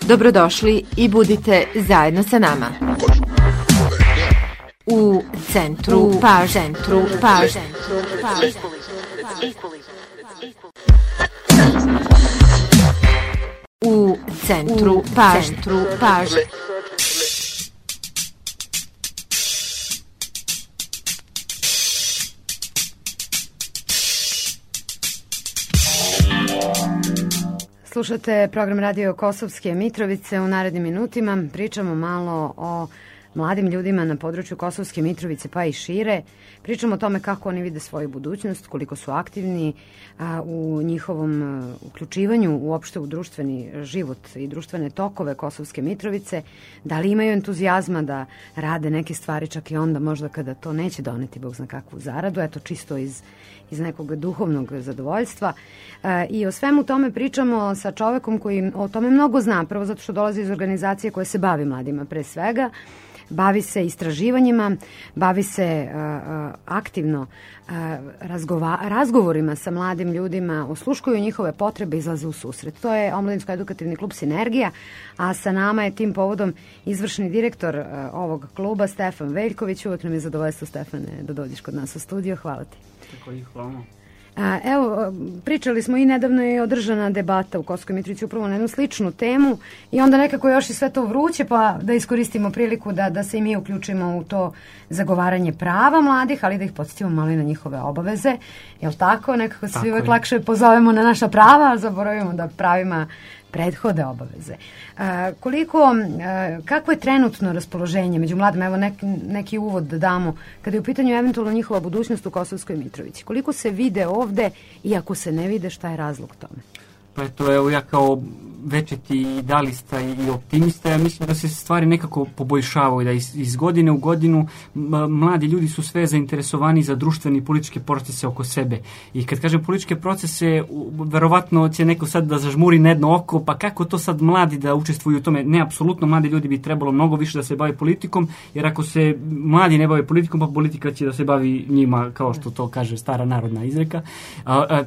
Dobrodošli i budite zajedno sa nama. U centru pažnje. U centru pažnje. Slušate program Radio Kosovske Mitrovice. U narednim minutima pričamo malo o mladim ljudima na području Kosovske Mitrovice pa i šire. Pričamo o tome kako oni vide svoju budućnost, koliko su aktivni u njihovom uključivanju uopšte u društveni život i društvene tokove Kosovske Mitrovice, da li imaju entuzijazma da rade neke stvari čak i onda možda kada to neće doneti Bog zna kakvu zaradu, eto čisto iz nekog duhovnog zadovoljstva. I o svemu tome pričamo sa čovekom koji o tome mnogo zna, prvo zato što dolazi iz organizacije koja se bavi mladima pre svega, bavi se istraživanjima, bavi se aktivno razgovorima sa mladim ljudima, osluškuju njihove potrebe, izlaze u susret. To je Omladinsko-edukativni klub Sinergija, a sa nama je tim povodom izvršni direktor ovog kluba Stefan Veljković. Uvek nam je zadovoljstvo, Stefane, da dođeš kod nas u studio. Hvala ti. Tako i hvala. Evo, pričali smo i nedavno je održana debata u Kosovskoj Mitrovici upravo na jednu sličnu temu i onda nekako još i sve to vruće, pa da iskoristimo priliku da se i mi uključimo u to zagovaranje prava mladih, ali da ih podsjetimo malo i na njihove obaveze. Jel tako? Nekako se uvek lakše pozovemo na naša prava, a zaboravimo da pravima prethode obaveze. Kako je trenutno raspoloženje među mladima? Evo neki uvod da damo kada je u pitanju eventualno njihova budućnost u Kosovskoj Mitrovici. Koliko se vide ovde i ako se ne vide, šta je razlog tome? Pa eto, evo ja kao večiti idealista i optimista, ja mislim da se stvari nekako poboljšavaju, da iz godine u godinu mladi ljudi su sve zainteresovani za društveni i političke procese oko sebe. I kad kažem političke procese, verovatno će neko sad da zažmuri na jedno oko, pa kako to sad mladi da učestvuju u tome? Ne, apsolutno, mladi ljudi bi trebalo mnogo više da se bave politikom, jer ako se mladi ne bave politikom, pa politika će da se bavi njima, kao što to kaže stara narodna izreka.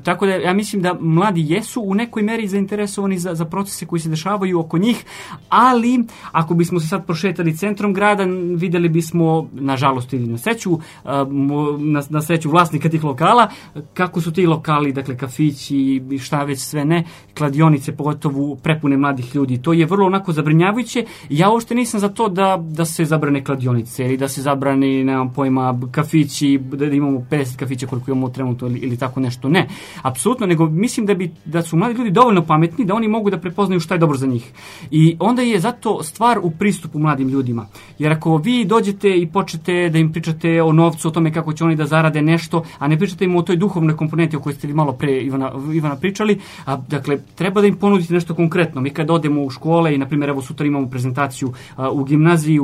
Tako da ja mislim da mladi jesu u nekoj meri zainteresovani za procese koji se dešavaju oko njih, ali ako bismo se sad prošetali centrom grada, videli bismo, nažalost ili na sreću vlasnika tih lokala, kako su ti lokali, dakle kafići, šta već sve ne, kladionice pogotovo prepune mladih ljudi. To je vrlo onako zabrinjavajuće. Ja uopšte nisam za to da se zabrane kladionice ili da se zabrane, nemam pojma, kafići, da imamo 50 kafića koliko imamo trenutno ili tako nešto. Ne, apsolutno, nego mislim da su mladi ljudi dovoljno pametni da oni mogu da prepoznaju šta je dobro za njih. I onda je zato stvar u pristupu mladim ljudima. Jer ako vi dođete i počnete da im pričate o novcu, o tome kako će oni da zarade nešto, a ne pričate im o toj duhovnoj komponenti o kojoj ste vi malo pre Ivana pričali, dakle, treba da im ponudite nešto konkretno. Mi kad odemo u škole i, na primjer, evo sutra imamo prezentaciju u gimnaziji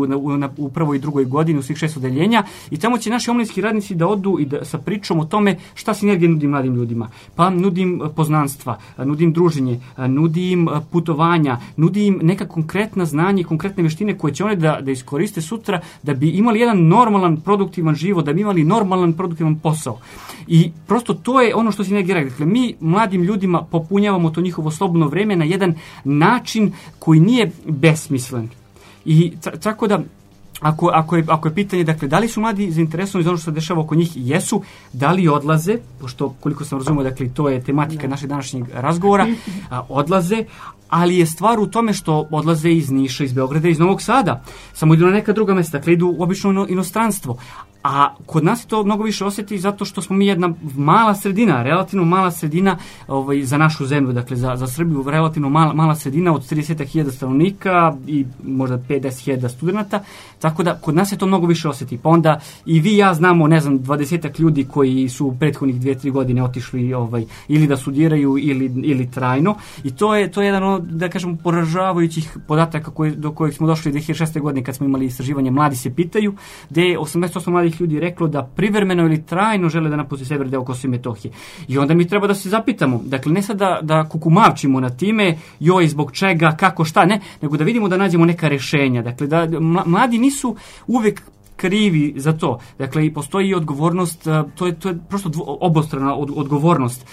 u prvoj i drugoj godini u svih 6 odeljenja i tamo će naši omladinski radnici da odu i sa pričom o tome šta Sinergija nudi mladim ljudima. Pa nudim poznanstva, nudim druženje, nudim putovanja, nudim neka konkretna znanja i konkretne veštine koje će one da iskoriste sutra da bi imali jedan normalan, produktivan život, da bi imali normalan, produktivan posao. I prosto to je ono što Sinergija radi. Dakle, mi mladim ljudima popunjavamo to njihovo slobodno vreme na jedan način koji nije besmislen. I tako da Ako je pitanje, dakle, da li su mladi zainteresovani za ono što se dešava oko njih, jesu, da li odlaze, pošto koliko sam razumio, dakle, to je tematika našeg današnjeg razgovora, odlaze, ali je stvar u tome što odlaze iz Niša, iz Beograda, iz Novog Sada, samo idu na neka druga mesta, dakle, idu obično u inostranstvo. A kod nas to mnogo više osjeti zato što smo mi jedna mala sredina, relativno mala sredina za našu zemlju, dakle za Srbiju relativno mala sredina od 30.000 stanovnika i možda 50.000 studenata, tako da kod nas je to mnogo više osjeti. Pa onda i vi i ja znamo, ne znam, 20 ljudi koji su u prethodnih 2-3 godine otišli ili da studiraju ili trajno i to je jedan, da kažemo, poražavajućih podataka do kojih smo došli 2006. godine kad smo imali istraživanje Mladi se pitaju, gde je 88 mladih ljudi reklo da privremeno ili trajno žele da napuste sever deo Kosova i Metohije. I onda mi treba da se zapitamo, dakle ne sad da kukumavčimo na time, joj, zbog čega, kako, šta, ne, nego da vidimo da nađemo neka rešenja. Dakle, da mladi nisu uvek krivi za to. Dakle, i postoji odgovornost, to je prosto obostrana odgovornost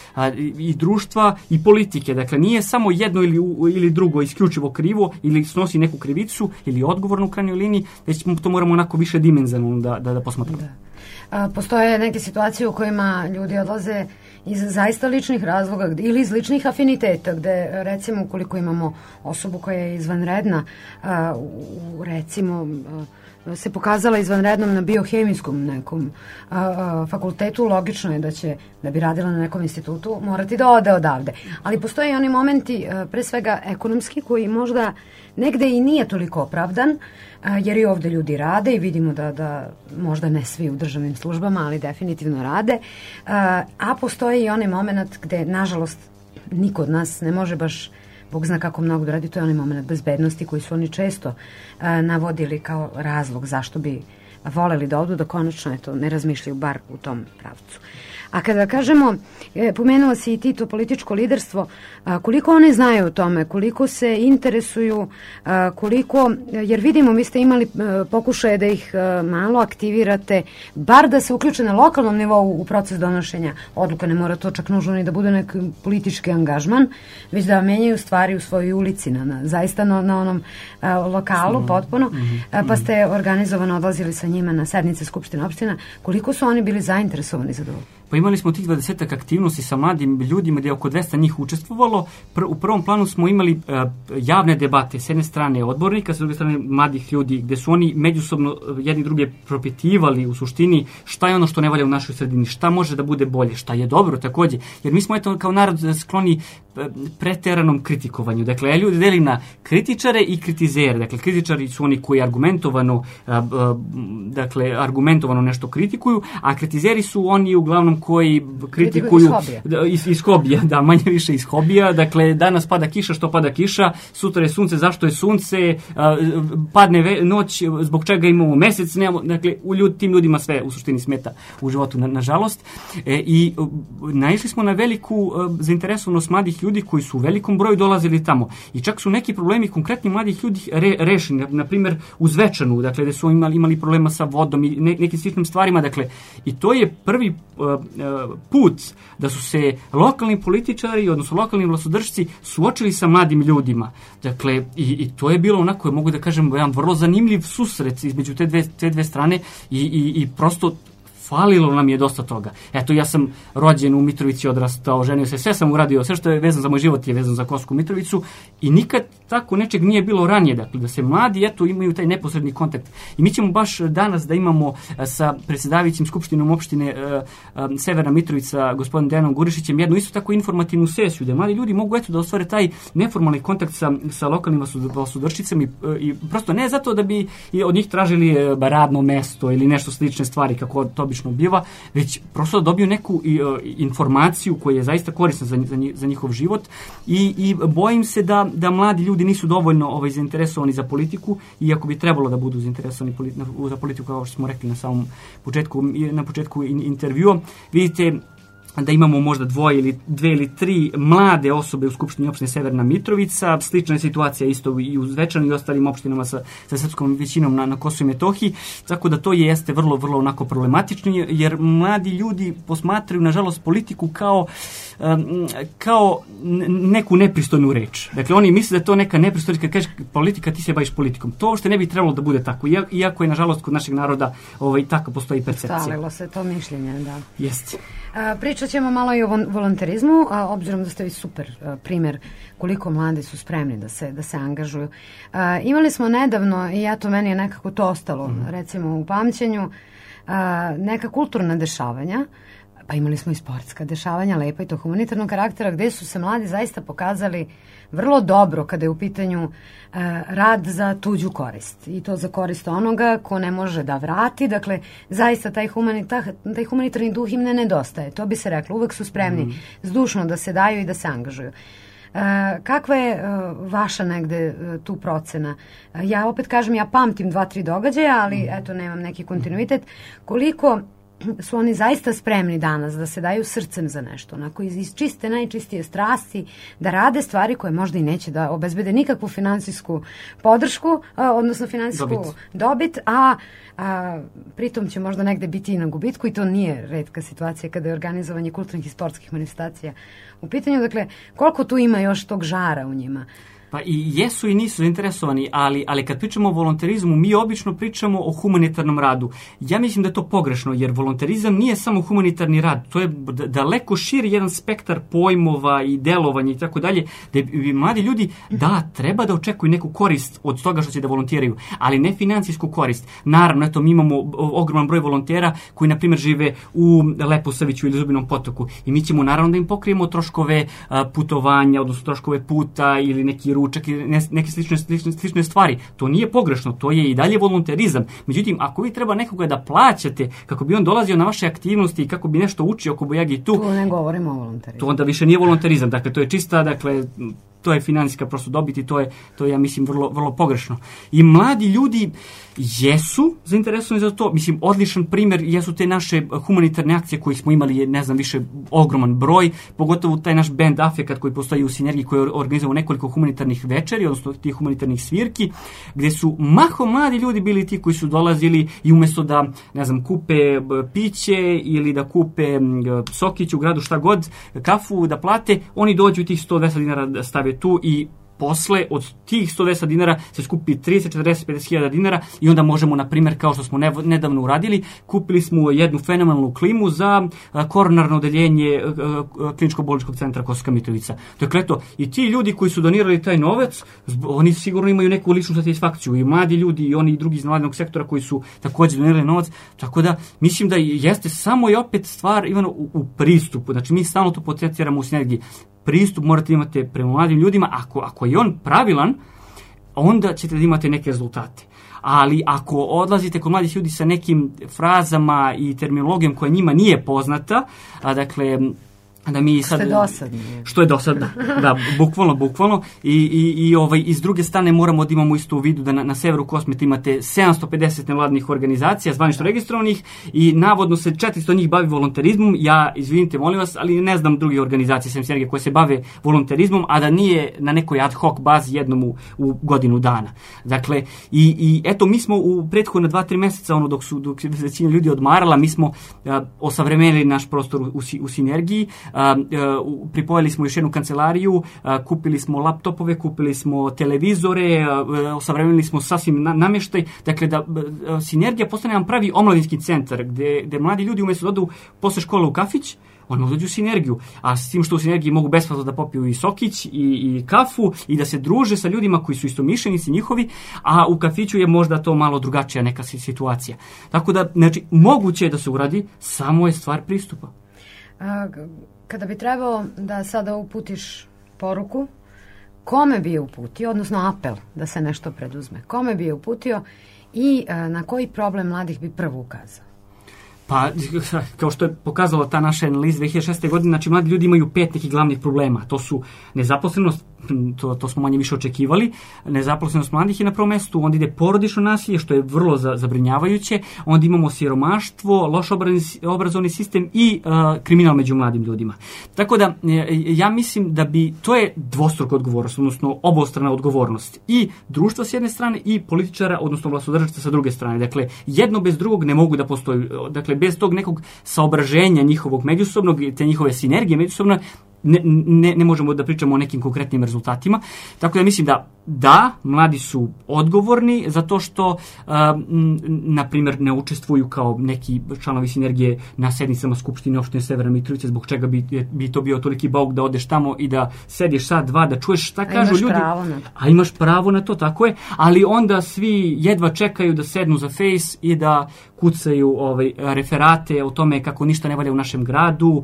i društva i politike. Dakle, nije samo jedno ili drugo isključivo krivo ili snosi neku krivicu ili odgovornu u krajnjoj liniji, već to moramo onako više dimenzionalno da posmatramo. Postoje neke situacije u kojima ljudi odlaze iz zaista ličnih razloga ili iz ličnih afiniteta, gde recimo ukoliko imamo osobu koja je izvanredna, recimo se pokazala izvanrednom na biohemijskom nekom fakultetu, logično je da bi radila na nekom institutu morati da ode odavde. Ali postoje i oni momenti, pre svega ekonomski, koji možda negde i nije toliko opravdan, jer i ovde ljudi rade i vidimo da možda ne svi u državnim službama, ali definitivno rade. A postoji i onaj moment gde, nažalost, niko od nas ne može baš Bog zna kako mnogo da radi, to je onaj moment bezbednosti koji su oni često navodili kao razlog zašto bi voleli da odu, da konačno ne razmišljaju bar u tom pravcu. A kada kažemo, pomenula si i ti to političko liderstvo, koliko one znaju o tome, koliko se interesuju, jer vidimo, vi ste imali pokušaje da ih malo aktivirate, bar da se uključe na lokalnom nivou u proces donošenja odluka, ne mora to čak nužno ni da bude neki politički angažman, već da menjaju stvari u svojoj ulici, zaista na onom lokalu potpuno, pa ste organizovano odlazili sa njima na sednice Skupštine opština. Koliko su oni bili zainteresovani za to? Pa imali smo tih 20 aktivnosti sa mladim ljudima gdje je oko 200 njih učestvovalo. U prvom planu smo imali javne debate, s jedne strane odbornika, s druge strane mladih ljudi, gdje su oni međusobno jedni druge propitivali u suštini šta je ono što ne valja u našoj sredini, šta može da bude bolje, šta je dobro također. Jer mi smo kao narod skloni preteranom kritikovanju. Dakle, ljudi deli na kritičare i kritizere. Dakle, kritičari su oni koji argumentovano nešto kritikuju, a kritizeri su oni uglavnom koji kritikuju iz hobija, da, manje više iz hobija. Dakle, danas pada kiša, što pada kiša, sutra je sunce, zašto je sunce, padne noć, zbog čega imamo mesec, dakle, tim ljudima sve u suštini smeta u životu, nažalost. I naišli smo na veliku zainteresovanost mladih ljudi koji su u velikom broju dolazili tamo. I čak su neki problemi konkretni mladih ljudi rešeni, na primjer u Zvečanu, dakle, gde su imali problema sa vodom i nekim sličnim stvarima, dakle, i to je prvi put da su se lokalni političari, odnosno lokalni vlastodržci suočili sa mladim ljudima. Dakle, i to je bilo onako, mogu da kažem, jedan vrlo zanimljiv susret između te dve strane i prosto falilo nam je dosta toga. Eto, ja sam rođen u Mitrovici, odrastao, ženio se, sve sam uradio, sve što je vezano za moj život je vezano za Kosovsku Mitrovicu i nikad tako nečeg nije bilo ranije, dakle, da se mladi, imaju taj neposredni kontakt. I mi ćemo baš danas da imamo sa predsjedavajućim Skupštinom opštine Severna Mitrovica, gospodinom Dejanom Gurišićem, jednu isto tako informativnu sesiju, da mladi ljudi mogu da ostvare taj neformalni kontakt sa lokalnim vlastodršcicama i prosto ne zato da bi od njih tražili radno mesto ili nešto slične stvari, kako to obično biva, već prosto da dobiju neku informaciju koja je zaista korisna za njihov život i bojim se da mladi ljudi nisu dovoljno zainteresovani za politiku, iako bi trebalo da budu zainteresovani za politiku, kao što smo rekli na samom početku intervjua. Vidite da imamo možda dve ili tri mlade osobe u Skupštini opštine Severna Mitrovica. Slična je situacija isto i u Zvečanu i ostalim opštinama sa srpskom većinom na Kosovu i Metohiji, tako da to jeste vrlo, vrlo onako problematično, jer mladi ljudi posmatraju, nažalost, politiku kao neku nepristojnu reč. Dakle, oni misle da je to neka nepristojna, kad kažeš politika, ti se baviš politikom. To uopšte ne bi trebalo da bude tako, iako je, nažalost, kod našeg naroda tako postoji percepcija. Stalilo se to mišljenje, da. Jeste. Pričat ćemo malo i o volonterizmu, obzirom da ste vi super primjer koliko mladi su spremni da se angažuju. Imali smo nedavno, i meni je nekako to ostalo, recimo u pamćenju, neka kulturna dešavanja, pa imali smo i sportska dešavanja, lepa i to humanitarnog karaktera, gde su se mladi zaista pokazali vrlo dobro kada je u pitanju rad za tuđu korist. I to za korist onoga ko ne može da vrati. Dakle, zaista taj humanitarni duh im ne nedostaje. To bi se reklo. Uvek su spremni zdušno da se daju i da se angažuju. Kakva je vaša negde tu procena? Ja opet kažem, ja pamtim 2-3 događaja, ali eto, nemam neki kontinuitet. Koliko su oni zaista spremni danas da se daju srcem za nešto, onako iz čiste, najčistije strasti, da rade stvari koje možda i neće da obezbede nikakvu finansijsku podršku, odnosno finansijsku dobit, a pritom će možda negde biti i na gubitku, i to nije retka situacija kada je organizovanje kulturnih i sportskih manifestacija u pitanju. Dakle, koliko tu ima još tog žara u njima? Pa i jesu i nisu zainteresovani, ali kad pričamo o volonterizmu, mi obično pričamo o humanitarnom radu. Ja mislim da je to pogrešno, jer volonterizam nije samo humanitarni rad, to je daleko širi jedan spektar pojmova i delovanja i tako dalje, da bi mladi ljudi, treba da očekuju neku korist od toga što će da volontiraju, ali ne financijsku korist. Naravno, eto, mi imamo ogroman broj volontera koji, na primjer, žive u Leposaviću ili Zubinom Potoku, i mi ćemo naravno da im pokrijemo troškove putovanja, odnosno troškove puta ili neki ručak i neke slične stvari. To nije pogrešno, to je i dalje volonterizam. Međutim, ako vi treba nekoga da plaćate kako bi on dolazio na vaše aktivnosti i kako bi nešto učio oko bojagi tu, ne govorimo o volonterizmu. To onda više nije volonterizam. Dakle, to je čista, to je financijska prosto dobit i to je ja mislim vrlo, vrlo pogrešno. I mladi ljudi jesu zainteresovani za to. Mislim, odličan primjer jesu te naše humanitarne akcije koje smo imali, ne znam, više ogroman broj, pogotovo taj naš band Afekat koji postoji u Sinergiji, koji je organizovao nekoliko humanitarnih večeri, odnosno tih humanitarnih svirki, gdje su mahom mladi ljudi bili ti koji su dolazili i umjesto da, ne znam, kupe piće ili da kupe sokić u gradu, šta god, kafu da plate, oni dođu tih 120 dinara da stave tu i posle od tih 110 dinara se skupi 30, 40, 50 hiljada dinara i onda možemo, na primjer, kao što smo nedavno uradili, kupili smo jednu fenomenalnu klimu za koronarno odeljenje Kliničko-bolničkog centra Kosovska Mitrovica. Dakle, eto, i ti ljudi koji su donirali taj novac, oni sigurno imaju neku ličnu satisfakciju, i mladi ljudi i oni i drugi iz nevladinog sektora koji su također donirali novac, tako da mislim da jeste samo i opet stvar, Ivano, u pristupu. Znači, mi stalno to potenciramo u Sinergiji. Pristup morate imati prema mladim ljudima. Ako je on pravilan, onda ćete da imate neke rezultate. Ali ako odlazite kod mladih ljudi sa nekim frazama i terminologijom koja njima nije poznata, dakle, da mi sad, što je dosadno, da, bukvalno, i s druge strane moramo da imamo isto u vidu da na severu Kosmeta imate 750 nevladinih organizacija zvanično registrovanih i navodno se 400 njih bavi volonterizmom. Ja, izvinite, molim vas, ali ne znam druge organizacije sem Sinergije koje se bave volonterizmom, a da nije na nekoj ad hoc bazi jednom u godinu dana. Dakle, i eto, mi smo u prethodne 2-3 mjeseca, dok se većina ljudi odmarala, mi smo osavremenili naš prostor u Sinergiji. Pripojili smo još jednu kancelariju, kupili smo laptopove, kupili smo televizore, osavremenili smo sasvim namještaj. Dakle, da Sinergija postane nam pravi omladinski centar gdje mladi ljudi umjesto da odu posle škole u kafić, oni mogu dođu u Sinergiju, a s tim što u Sinergiji mogu besplatno da popiju i sokić i kafu i da se druže sa ljudima koji su istomišljenici njihovi, a u kafiću je možda to malo drugačija neka situacija. Tako da, znači, moguće je da se uradi, samo je stvar pristupa. Kada bi trebalo da sada uputiš poruku, kome bi je uputio, odnosno apel da se nešto preduzme, kome bi je uputio i na koji problem mladih bi prvo ukazao? Pa, kao što je pokazala ta naša analiza 2006. godine, znači mladi ljudi imaju 5 nekih glavnih problema. To su nezaposlenost, to smo manje više očekivali, nezaposlenost mladih je na prvom mjestu, onda ide porodično nasilje, što je vrlo zabrinjavajuće, onda imamo siromaštvo, loš obrazovni sistem i kriminal među mladim ljudima. Tako da, ja mislim da to je dvostruka odgovornost, odnosno obostrana odgovornost i društva s jedne strane i političara, odnosno vlastodržaca sa druge strane. Dakle, jedno bez drugog ne mogu da postoji. Dakle, bez tog nekog saobraženja njihovog međusobnog, te njihove sinergije međusobno, ne možemo da pričamo o nekim konkretnim rezultatima. Tako da mislim da mladi su odgovorni zato što, na primjer, ne učestvuju kao neki članovi Sinergije na sednicama Skupštine opštine Severna Mitrovica, zbog čega bi to bio toliki bauk da odeš tamo i da sediš sat, dva, da čuješ šta kažu ljudi. A imaš pravo na to, tako je, ali onda svi jedva čekaju da sednu za Face i da kucaju referate o tome kako ništa ne valja u našem gradu,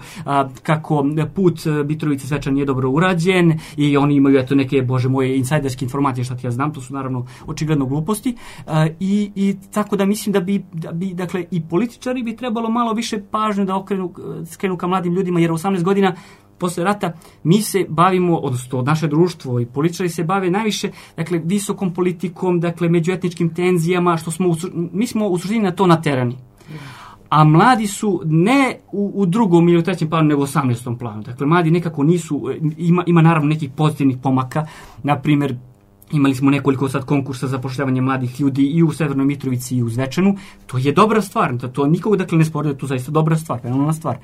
kako put Mitrovice Svečan nije dobro urađen i oni imaju eto neke, bože moje, insajderske informacije, šta ti ja znam, to su naravno očigledno gluposti, i tako da mislim da bi dakle i političari bi trebalo malo više pažnje da skrenu ka mladim ljudima, jer 18 godina posle rata mi se bavimo, odnosno naše društvo i političari se bave najviše, dakle, visokom politikom, dakle, međuetničkim tenzijama, mi smo u suštini na to naterani. a mladi su ne u drugom ili u trećem planu, nego u 18. planu. Dakle, mladi nekako nisu, ima naravno nekih pozitivnih pomaka, na primjer, imali smo nekoliko sad konkursa za zapošljavanje mladih ljudi i u Severnoj Mitrovici i u Zvečanu. To je dobra stvar, to nikog dakle ne spori, to je zaista dobra stvar, fenomenalna stvar.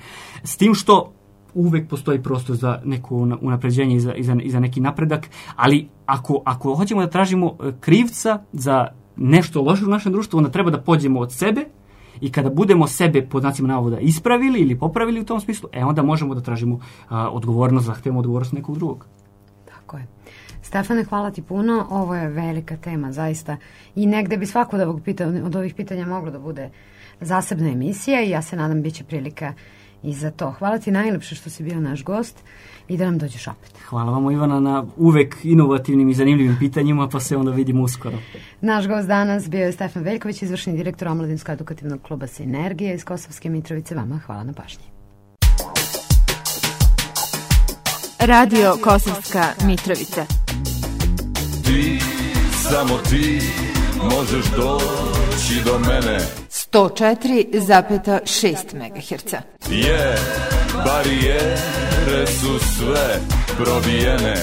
S tim što uvek postoji prostor za neko unapređenje i za neki napredak, ali ako hoćemo da tražimo krivca za nešto loše u našem društvu, onda treba da pođemo od sebe i kada budemo sebe pod znacima navoda ispravili ili popravili u tom smislu, onda možemo da tražimo odgovornost, zahtevamo odgovornost nekog drugog. Tako je. Stefane, hvala ti puno. Ovo je velika tema, zaista. I negde bi svako od ovih pitanja moglo da bude zasebna emisija i ja se nadam bit će prilika i za to. Hvala ti najlepše što si bio naš gost i da nam dođeš opet. Hvala vam, Ivana, na uvek inovativnim i zanimljivim pitanjima, pa se onda vidimo uskoro. Naš gost danas bio je Stefan Veljković, izvršni direktor Omladinsko-edukativnog kluba Sinergije iz Kosovske Mitrovice. Vama hvala na pažnji. Radio Kosovska Mitrovica. Ti, samo ti, možeš doći do mene. 104,6 MHz. Barijere su sve probijene.